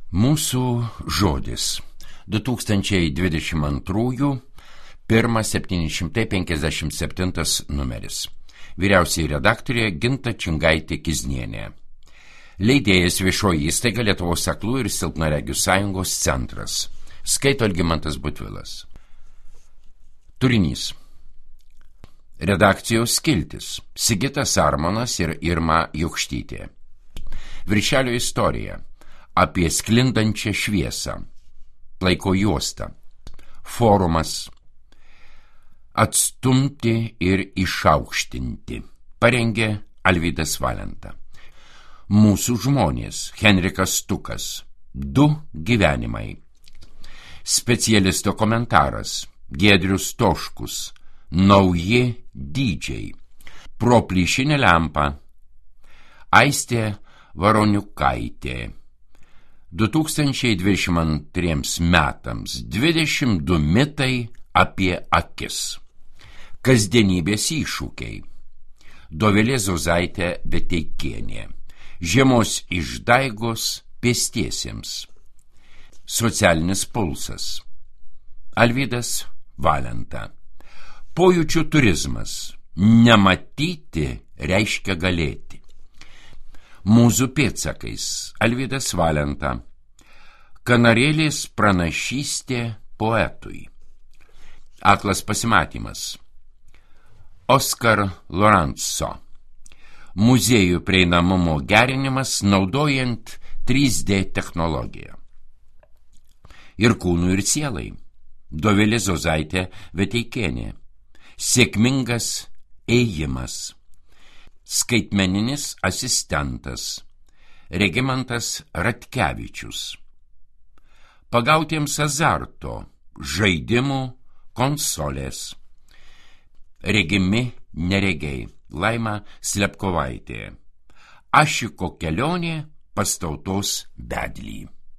Mūsų žodis 2022 1757 numeris. Vyriausiai redaktorė Ginta Čingaitė-Kiznienė. Leidėjas Viešoji įstaiga Lietuvos aklų ir silpnaregių sąjungos centras. Skaito Algimantas Butvilas. Turinys. Redakcijos skiltis. Sigitas Armonas ir Irma Jokštytė. Viršelio istorija. Apie sklindančią šviesą. Laiko juosta. Forumas. Atstumti ir išaukštinti. Parengė Alvydas Valenta. Mūsų žmonės. Henrikas Stukas. 2 gyvenimai. Specialisto komentaras. Giedrius Toškus. Nauji dydžiai. Pro plyšinę lempą. Aistė Varoniukaitė. 2022 metams 22 mitai apie akis. Kasdienybės iššūkiai. Dovilė Zozaitė Beteikienė. Žiemos išdaigos pėstiesiems. Socialinis pulsas. Alvydas Valenta. Pojūčių turizmas. Nematyti reiškia galėti. Mūzų pėdsakais. Alvydas Valenta. Kanarėlės pranašystė poetui. Aklas pasimatymas. Oskar Lorenzo. Muziejų prieinamumo gerinimas naudojant 3D technologiją. Ir kūnų ir sielai. Dovilė Zozaitė Beteikienė. Sėkmingas ėjimas. Skaitmeninis asistentas. Regimantas Ratkevičius. Pagautiems azarto. Žaidimų konsolės. Regimi neregiai. Laima Slepkovaitė. Ašiko kelionė pas tautos vedlį.